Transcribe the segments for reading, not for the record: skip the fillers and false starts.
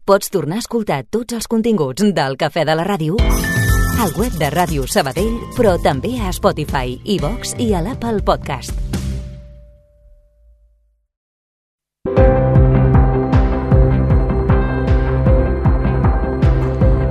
Pots tornar a escoltar tots els continguts del Cafè de la Ràdio al web de Ràdio Sabadell, però també a Spotify, iVox i a l'Apple Podcast.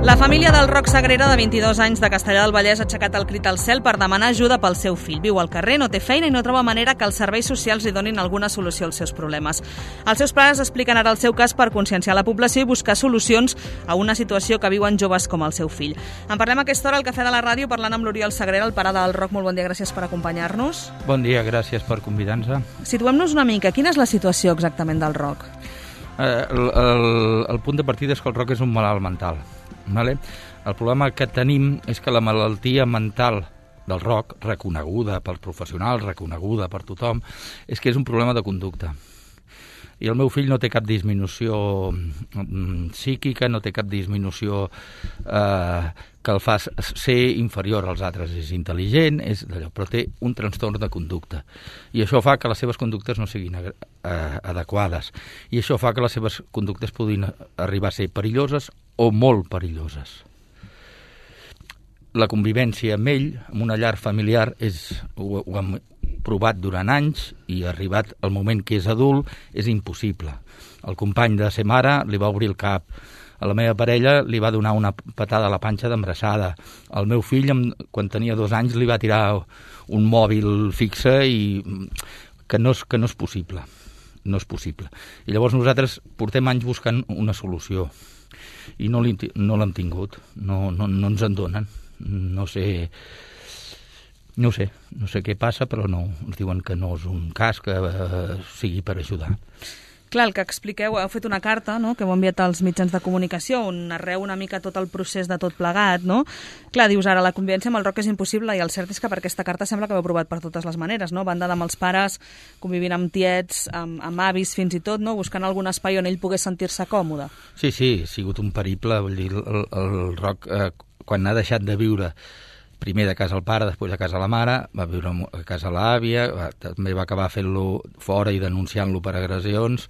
La família del Roc Sagrera, de 22 anys, de Castellar del Vallès, ha aixecat el crit al cel per demanar ajuda pel seu fill. Viu al carrer, no té feina i no troba manera que els serveis socials li donin alguna solució als seus problemes. Els seus pares expliquen ara el seu cas per conscienciar la població i buscar solucions a una situació que viuen joves com el seu fill. En parlem a aquesta hora al Cafè de la Ràdio parlant amb l'Oriol Sagrera, el pare del Roc. Molt bon dia, gràcies per acompanyar-nos. Bon dia, gràcies per convidar-nos. Situem-nos una mica. Quina és la situació exactament del Roc? El punt de partida és que el Roc és un malalt mental. Vale? El problema que tenim és que la malaltia mental del Roc, reconeguda pels professionals, reconeguda per tothom, és que és un problema de conducta. I el meu fill no té cap disminució psíquica, no té cap disminució que el fa ser inferior als altres. És intel·ligent, però té un trastorn de conducta. I això fa que les seves conductes no siguin adequades. I això fa que les seves conductes puguin arribar a ser perilloses o molt perilloses. La convivència amb ell, en una llar familiar, ho hem provat durant anys i arribat el moment que és adult és impossible. El company de ser mare li va obrir el cap. A la meva parella li va donar una patada a la panxa d'embrassada. Al meu fill, quan tenia 2 anys, li va tirar un mòbil fixe i que no és possible. No és possible. I llavors nosaltres portem anys buscant una solució i no l'hem tingut. No ens en donen. No sé què passa, però no, ens diuen que no és un cas que sigui per ajudar. Clar, el que expliqueu, heu fet una carta, no?, que heu enviat als mitjans de comunicació, on narreu una mica tot el procés de tot plegat, no? Clar, dius ara, la convivència amb el Roc és impossible, i el cert és que per aquesta carta sembla que ho heu provat per totes les maneres, no? Banda amb els pares, convivint amb tiets, amb avis, fins i tot, no?, buscant algun espai on ell pogués sentir-se còmode. Sí, ha sigut un periple, vull dir, el Roc, quan ha deixat de viure primer de casa al pare, després a casa la mare, va viure a casa l'àvia, també va acabar fent-lo fora i denunciant-lo per agressions,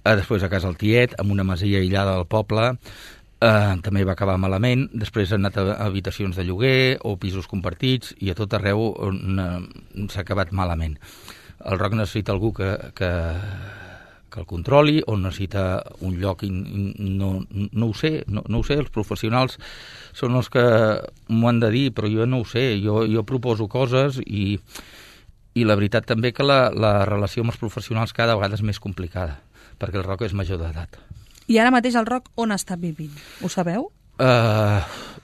després a casa el tiet, amb una masia aïllada del poble, també va acabar malament, després ha anat a habitacions de lloguer o pisos compartits i a tot arreu s'ha acabat malament. El Roc necessita algú que el controli o necessita un lloc, no ho sé, els professionals són els que m'ho han de dir, però jo no ho sé, jo proposo coses i la veritat també que la relació amb els professionals cada vegada és més complicada, perquè el Roc és major d'edat. I ara mateix el Roc on està vivint? Ho sabeu?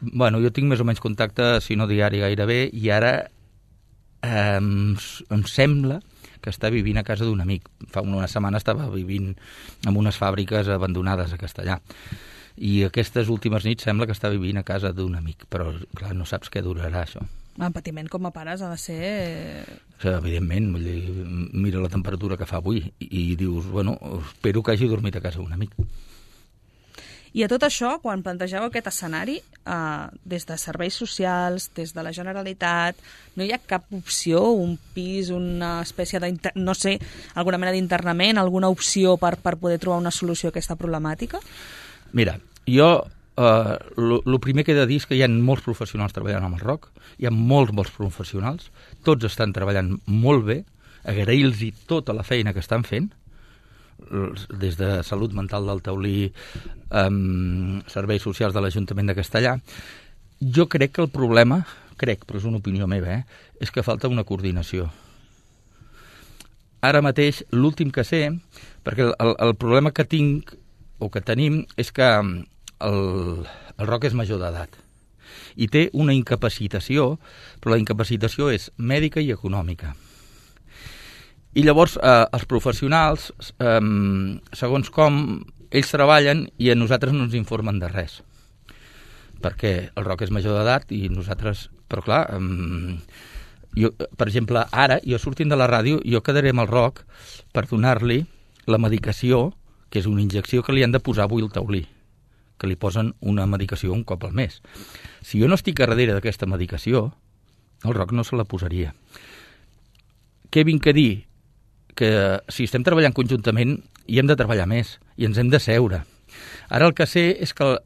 Bueno, jo tinc més o menys contacte, si no diari gairebé, i ara em sembla que està vivint a casa d'un amic. Fa una setmana estava vivint en unes fàbriques abandonades a Castellar. I aquestes últimes nits sembla que està vivint a casa d'un amic. Però, clar, no saps què durarà, això. El patiment com a pares ha de ser... Evidentment, vull dir, mira la temperatura que fa avui i dius, bueno, espero que hagi dormit a casa d'un amic. I a tot això, quan plantegeu aquest escenari, des de serveis socials, des de la Generalitat, no hi ha cap opció, un pis, una espècie no sé, alguna mena d'internament, alguna opció per poder trobar una solució a aquesta problemàtica? Mira, jo el primer que he de dir és que hi ha molts professionals treballant amb el Roc, hi ha molts professionals, tots estan treballant molt bé, agrair-los tota la feina que estan fent, des de Salut Mental del Taulí, Serveis Socials de l'Ajuntament de Castellar. Jo crec que el problema, però és una opinió meva, és que falta una coordinació. Ara mateix, l'últim que sé, perquè el problema que tinc, o que tenim, és que el Roc és major d'edat i té una incapacitació, però la incapacitació és mèdica i econòmica. I llavors els professionals, segons com, ells treballen i a nosaltres no ens informen de res. Perquè el Roc és major d'edat i nosaltres... Però clar, jo, per exemple, ara, jo sortint de la ràdio, jo quedaré amb el Roc per donar-li la medicació, que és una injecció que li han de posar avui al taulí, que li posen una medicació un cop al mes. Si jo no estic a darrere d'aquesta medicació, el Roc no se la posaria. Què vinc a dir? Que si estem treballant conjuntament hi hem de treballar més i ens hem de seure Ara el que sé és que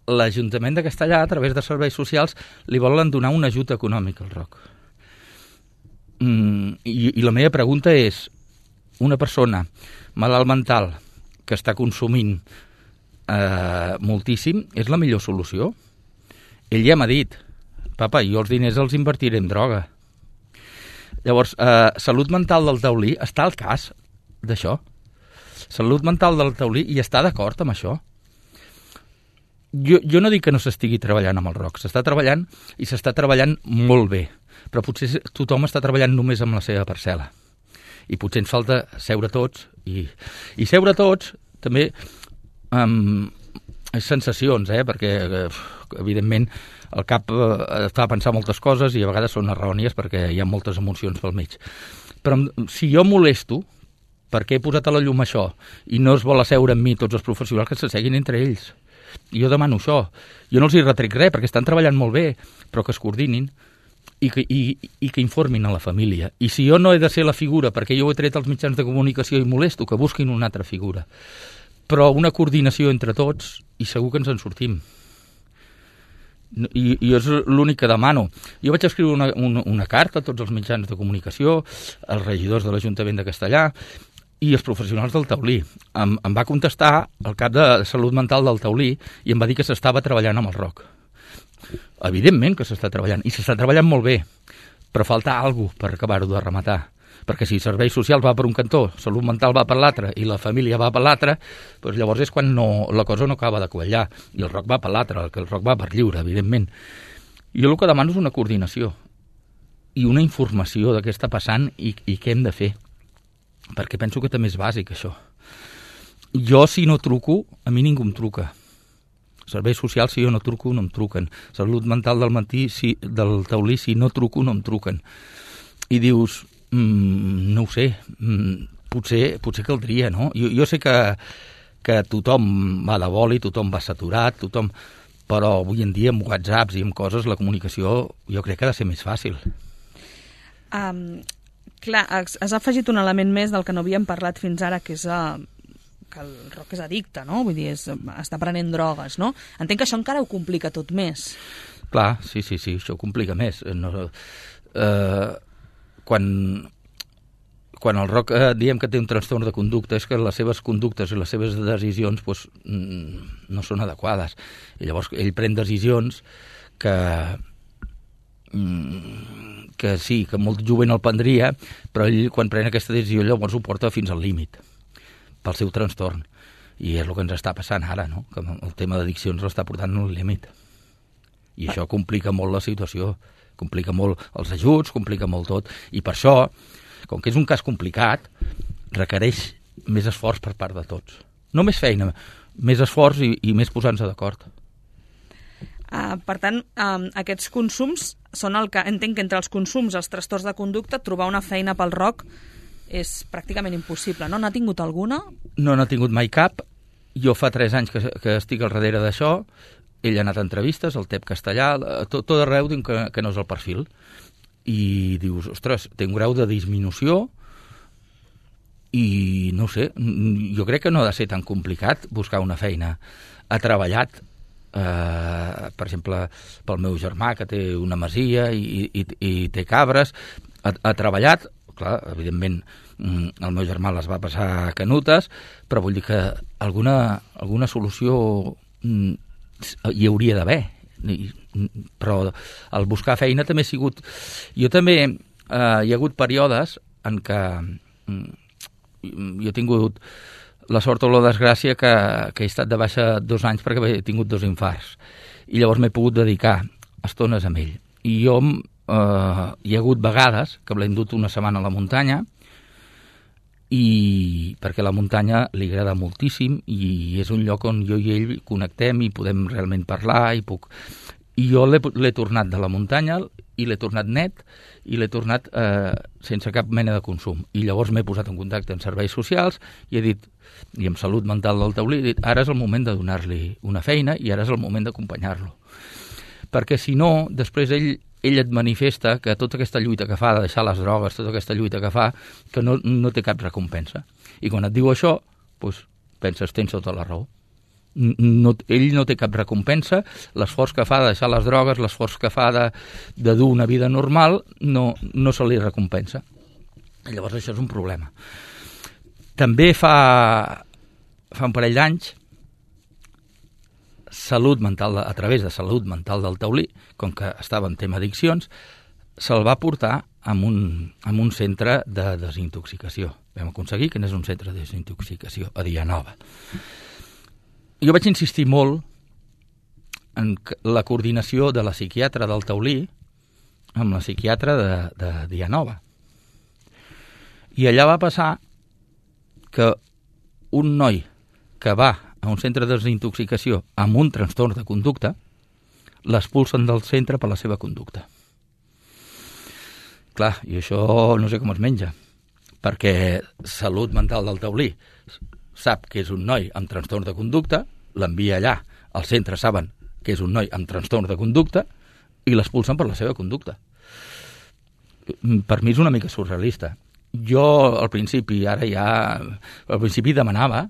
l'Ajuntament de Castellar, a través de serveis socials, li volen donar un ajut econòmic al ROC. I la meva pregunta és, una persona malalt mental que està consumint moltíssim, és la millor solució? Ell ja m'ha dit, papa, jo els diners els invertiré en droga. Llavors, Salut Mental del Taulí està al cas d'això. Salut Mental del Taulí hi està d'acord amb això. Jo no dic que no s'estigui treballant amb el ROC, s'està treballant i s'està treballant molt bé, però potser tothom està treballant només amb la seva parcel·la. I potser ens falta seure tots, i seure tots també sensacions, perquè evidentment el cap està a pensar moltes coses i a vegades són errònies perquè hi ha moltes emocions pel mig. Però si jo molesto perquè he posat a la llum això i no es vol asseure amb mi tots els professionals, que s'asseguin entre ells. I jo demano això. Jo no els hi retrec res perquè estan treballant molt bé, però que es coordinin i que informin a la família. I si jo no he de ser la figura perquè jo ho he tret als mitjans de comunicació i molesto, que busquin una altra figura. Però una coordinació entre tots i segur que ens en sortim. I és l'únic que demano. Jo vaig escriure una carta a tots els mitjans de comunicació, als regidors de l'Ajuntament de Castellar i els professionals del Taulí. Em va contestar el cap de Salut Mental del Taulí i em va dir que s'estava treballant amb el ROC. Evidentment que s'està treballant, i s'està treballant molt bé, però falta alguna cosa per acabar-ho de rematar. Perquè si serveis socials va per un cantó, salut mental va per l'altre i la família va per l'altre, doncs llavors és quan la cosa no acaba de quallar. I el ROC va per l'altre, que el ROC va per lliure, evidentment. Jo el que demano és una coordinació i una informació de què està passant i què hem de fer. Perquè penso que també és bàsic, això. Jo, si no truco, a mi ningú em truca. Serveis socials, si jo no truco, no em truquen. Salut mental del Taulí, si no truco, no em truquen. I dius, no ho sé, potser caldria, no? Jo sé que tothom va de boli, tothom va saturat, però avui en dia amb WhatsApps i amb coses la comunicació jo crec que ha de ser més fàcil. Clar, has afegit un element més del que no havíem parlat fins ara, que és que el ROC és addicte, no? Vull dir, està prenent drogues, no? Entenc que això encara ho complica tot més. Clar, sí, això ho complica més. Quan el ROC diem que té un trastorn de conducta és que les seves conductes i les seves decisions no són adequades. I llavors ell pren decisions que sí, que molt jovent el prendria, però ell quan pren aquesta decisió llavors ho porta fins al límit pel seu trastorn. I és el que ens està passant ara, no? Que el tema d'addiccions l'està portant al límit. I això complica molt la situació, complica molt els ajuts, complica molt tot. I per això, com que és un cas complicat, requereix més esforç per part de tots. No més feina, més esforç i més posar-nos d'acord. Per tant, aquests consums són el que entenc que entre els consums, els trastorns de conducta, trobar una feina pel ROC és pràcticament impossible, no? N'ha tingut alguna? No n'ha tingut mai cap. Jo fa 3 anys que estic al darrere d'això. Ell ha anat a entrevistes, al TEP Castellà, tot arreu diu que no és el perfil. I dius, ostres, té un grau de disminució i no sé, jo crec que no ha de ser tan complicat buscar una feina. Ha treballat, per exemple, pel meu germà, que té una masia i té cabres, ha treballat, clar, evidentment el meu germà les va passar canutes, però vull dir que alguna solució hi hauria d'haver. Però el buscar feina també ha sigut... Jo també hi ha hagut períodes en què jo he tingut la sort o la desgràcia que he estat de baixa 2 anys perquè he tingut 2 infarts. I llavors m'he pogut dedicar estones amb ell. I jo hi ha hagut vegades que l'he endut una setmana a la muntanya i perquè la muntanya li agrada moltíssim i és un lloc on jo i ell connectem i podem realment parlar i jo l'he tornat de la muntanya i l'he tornat net i l'he tornat sense cap mena de consum i llavors m'he posat en contacte amb serveis socials i he dit, i amb Salut Mental del Taulí, he dit, ara és el moment de donar-li una feina i ara és el moment d'acompanyar-lo perquè si no, després ell et manifesta que tota aquesta lluita que fa de deixar les drogues, tota aquesta lluita que fa, que no té cap recompensa. I quan et diu això, doncs, penses, tens tota la raó. Ell no té cap recompensa, l'esforç que fa de deixar les drogues, l'esforç que fa de dur una vida normal, no se li recompensa. Llavors això és un problema. També fa un parell d'anys, Salut Mental, a través de Salut Mental del Taulí, com que estava en tema addiccions, se'l va portar a un centre de desintoxicació. Vam aconseguir que n'és un centre de desintoxicació a Dianova. Jo vaig insistir molt en la coordinació de la psiquiatra del Taulí amb la psiquiatra de Dianova. I allà va passar que un noi que va a un centre de desintoxicació amb un trastorn de conducta l'expulsen del centre per la seva conducta. Clar, i això no sé com es menja, perquè Salut Mental del Taulí sap que és un noi amb trastorn de conducta, l'envia allà, al centre saben que és un noi amb trastorn de conducta i l'expulsen per la seva conducta. Per mi és una mica surrealista. Jo al principi demanava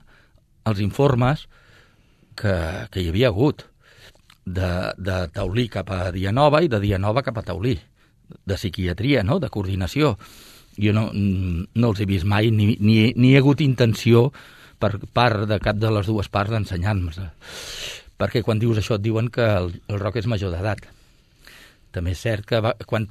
els informes que hi havia hagut de Taulí cap a Dianova i de Dianova cap a Taulí, de psiquiatria, no? De coordinació. Jo no els he vist mai, ni he hagut intenció per part de cap de les dues parts d'ensenyar-nos. Perquè quan dius això et diuen que el Roc és major d'edat. També és cert que quan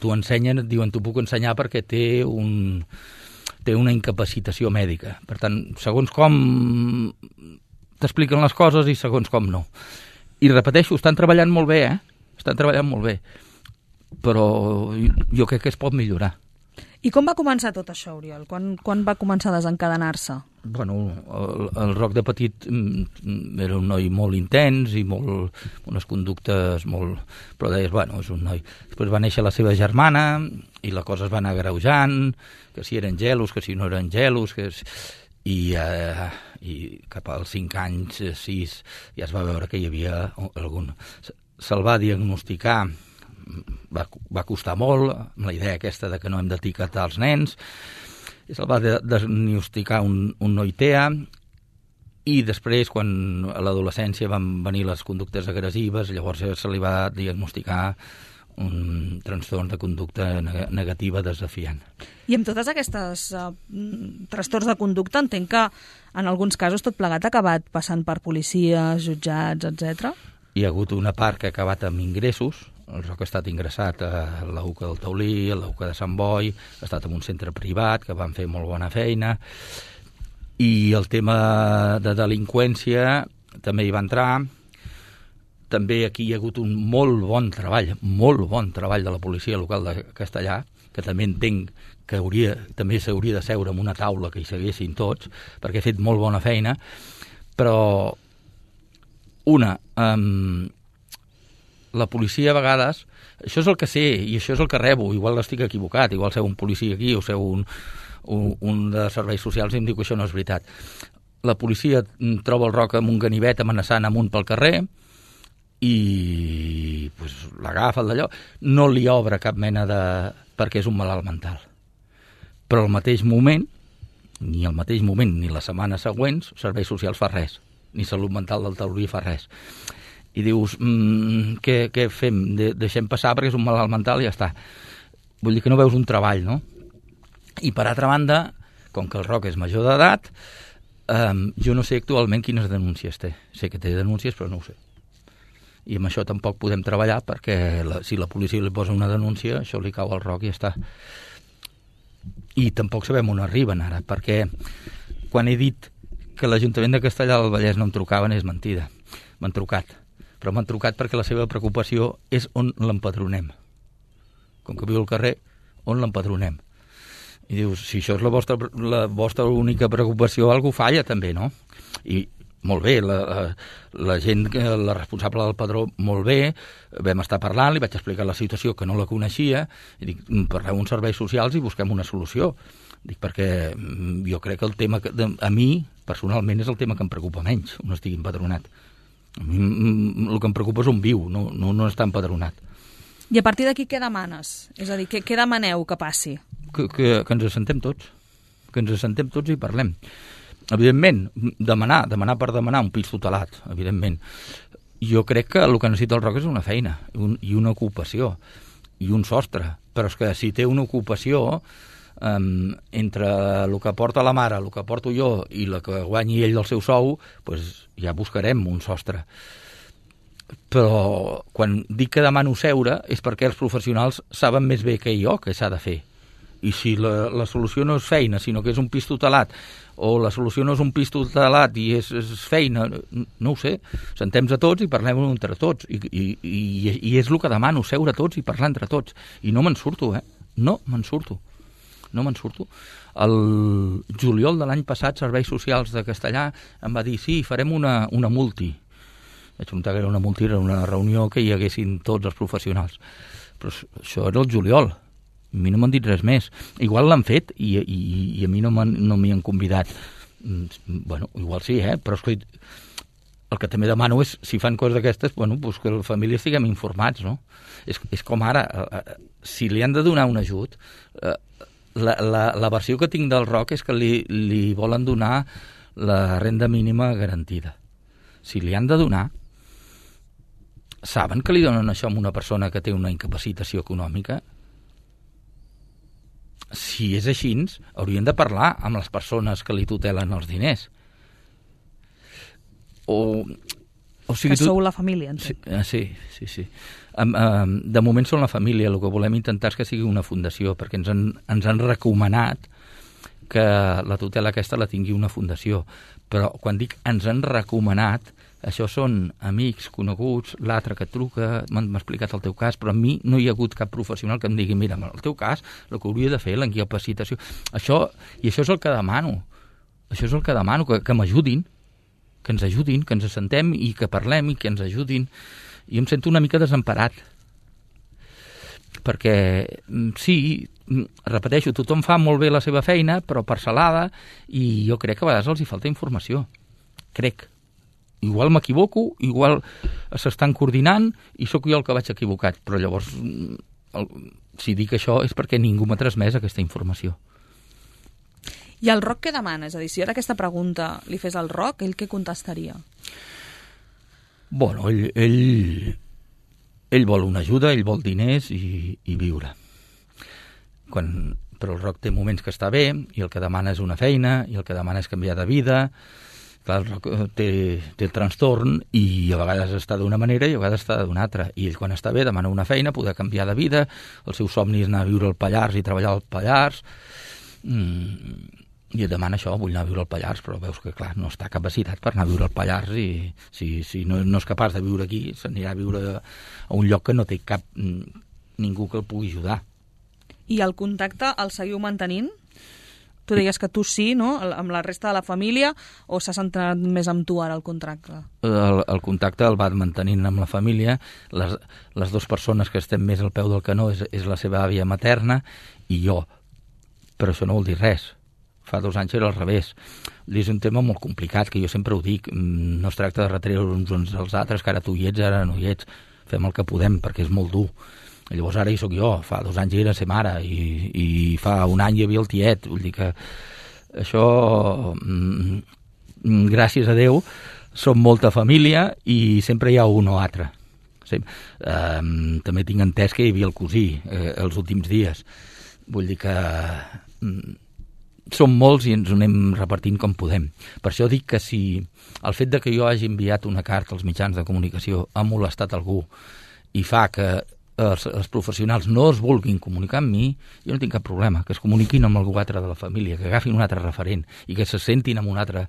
t'ho ensenyen et diuen t'ho puc ensenyar perquè té una incapacitació mèdica. Per tant, segons com t'expliquen les coses i segons com no. I repeteixo, estan treballant molt bé, Estan treballant molt bé. Però jo crec que es pot millorar. I com va començar tot això, Oriol? Quan va començar a desencadenar-se? Bueno, el Roc de petit era un noi molt intens i unes conductes molt... Però deies, bueno, és un noi... Després va néixer la seva germana i la cosa es va anar agreujant, que si eren gelos, que si no eren gelos, i cap als 5 anys, 6, ja es va veure que hi havia algun... Se'l va diagnosticar... Va costar molt, amb la idea aquesta de que no hem d'etiquetar els nens, i se'l va diagnosticar un noi TEA, i després, quan a l'adolescència van venir les conductes agressives, llavors se li va diagnosticar un trastorn de conducta negativa desafiant. I amb totes aquestes trastorns de conducta entenc que en alguns casos tot plegat ha acabat passant per policies, jutjats, etc. Hi ha hagut una part que ha acabat amb ingressos. El Roc ha estat ingressat a la UCA del Taulí, a la UCA de Sant Boi, ha estat en un centre privat que van fer molt bona feina, i el tema de delinqüència també hi va entrar. També aquí hi ha hagut un molt bon treball de la policia local de Castellà, que també entenc que també s'hauria de seure en una taula que hi seguessin tots, perquè ha fet molt bona feina, però la policia a vegades, això és el que sé i això és el que rebo, igual estic equivocat, igual seu un policia aquí o seu un de serveis socials i em diu que això no és veritat. La policia troba el Roc amb un ganivet amenaçant amunt pel carrer i l'agafa d'allò, no li obre cap mena perquè és un malalt mental. Però al mateix moment, ni les setmanes següents, serveis socials fa res, ni Salut Mental del Taulí fa res. I dius, què fem? Deixem passar perquè és un malalt mental i ja està. Vull dir que no veus un treball, no? I per altra banda, com que el Roc és major d'edat, jo no sé actualment quines denúncies té. Sé que té denúncies, però no ho sé. I amb això tampoc podem treballar perquè si la policia li posa una denúncia, això li cau al Roc i ja està. I tampoc sabem on arriben ara, perquè quan he dit que l'Ajuntament de Castellar del Vallès no em trucaven és mentida. M'han trucat. Però m'han trucat perquè la seva preocupació és on l'empadronem. Com que viu al carrer, on l'empadronem? I dius, si això és la vostra única preocupació, algú falla també, no? I molt bé, la gent, la responsable del padró, molt bé, vam estar parlant, li vaig explicar la situació que no la coneixia, i dic, parleu uns serveis socials i busquem una solució. Dic, perquè jo crec que el tema, a mi, personalment, és el tema que em preocupa menys, on estigui empadronat. A mi el que em preocupa és on viu, no està empadronat. I a partir d'aquí què demanes? És a dir, què demaneu que passi? Que ens assentem tots. Que ens assentem tots i parlem. Evidentment, demanar per demanar un pis tutelat, evidentment. Jo crec que el que necessita el ROC és una feina i una ocupació i un sostre, però és que si té una ocupació entre el que porta la mare, el que porto jo i el que guanyi ell del seu sou, doncs ja buscarem un sostre. Però quan dic que demano seure és perquè els professionals saben més bé que jo què s'ha de fer. I si la solució no és feina, sinó que és un pis tutelat, o la solució no és un pis tutelat i és feina, no ho sé, sentem-nos a tots i parlem entre tots. I és el que demano, seure tots i parlar entre tots. I no me'n surto, No me'n surto. El juliol de l'any passat, Serveis Socials de Castellà em va dir, sí, farem una multi. Vaig preguntar que era una multi, era una reunió que hi haguessin tots els professionals. Però això era el juliol. A mi no m'han dit res més. Igual l'han fet i a mi no m'hi han convidat. Bueno, igual sí, però el que també demano és, si fan coses d'aquestes, doncs que les famílies estiguem informats, no? És com ara, si li han de donar un ajut, la versió que tinc del ROC és que li volen donar la renda mínima garantida. Si li han de donar, saben que li donen això a una persona que té una incapacitació econòmica? Si és així, haurien de parlar amb les persones que li tutelen els diners. O sigui, que sou la família, entenc. Sí. De moment som la família. El que volem intentar és que sigui una fundació, perquè ens han recomanat que la tutela aquesta la tingui una fundació. Però quan dic ens han recomanat, això són amics, coneguts, l'altre que et truca, m'ha explicat el teu cas, però a mi no hi ha hagut cap professional que em digui, mira, el teu cas, el que hauria de fer, l'incapacitació, això és el que demano. Això és el que demano, que m'ajudin, que ens ajudin, que ens assentem i que parlem i que ens ajudin. I em sento una mica desemparat. Perquè, sí, repeteixo, tothom fa molt bé la seva feina, però parcel·lada, i jo crec que a vegades els hi falta informació. Crec. Igual m'equivoco, igual s'estan coordinant i sóc jo el que vaig equivocat. Però llavors, si dic això és perquè ningú m'ha transmès aquesta informació. I el ROC què demana? És a dir, si ara aquesta pregunta li fes al ROC, ell què contestaria? Bueno, ell vol una ajuda, ell vol diners i viure. Però el ROC té moments que està bé i el que demana és una feina i el que demana és canviar de vida. Clar, el ROC té trastorn i a vegades està d'una manera i a vegades està d'una altra. I ell quan està bé demana una feina, poder canviar de vida, el seu somni és anar a viure al Pallars i treballar al Pallars. I et demana això, vull anar a viure al Pallars, però veus que, clar, no està capacitat per anar a viure al Pallars i si no és capaç de viure aquí, s'anirà a viure a un lloc que no té cap ningú que el pugui ajudar. I el contacte el seguiu mantenint? Tu deies que tu sí, no?, amb la resta de la família, o s'ha centrat més amb tu ara el contacte? El contacte el va mantenint amb la família. Les dues persones que estem més al peu del canó és la seva àvia materna i jo. Però això no vol dir res. Fa 2 anys era al revés. És un tema molt complicat, que jo sempre ho dic. No es tracta de retreure uns als altres, que ara tu hi ets, ara no hi ets. Fem el que podem, perquè és molt dur. Llavors ara hi soc jo. Fa 2 anys era ser mare i fa 1 any hi havia el tiet. Vull dir que això, gràcies a Déu, som molta família i sempre hi ha un o altre. També tinc entès que hi havia el cosí els últims dies. Vull dir que som molts i ens ho anem repartint com podem. Per això dic que si el fet de que jo hagi enviat una carta als mitjans de comunicació ha molestat algú i fa que els professionals no es vulguin comunicar amb mi, jo no tinc cap problema, que es comuniquin amb algú altre de la família, que agafin un altre referent i que se sentin amb una altra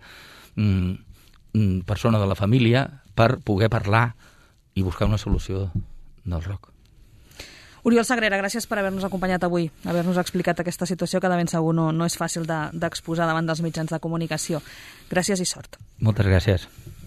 persona de la família per poder parlar i buscar una solució del ROC. Oriol Sagrera, gràcies per haver-nos acompanyat avui, haver-nos explicat aquesta situació que de ben segur no és fàcil d'exposar davant dels mitjans de comunicació. Gràcies i sort. Moltes gràcies.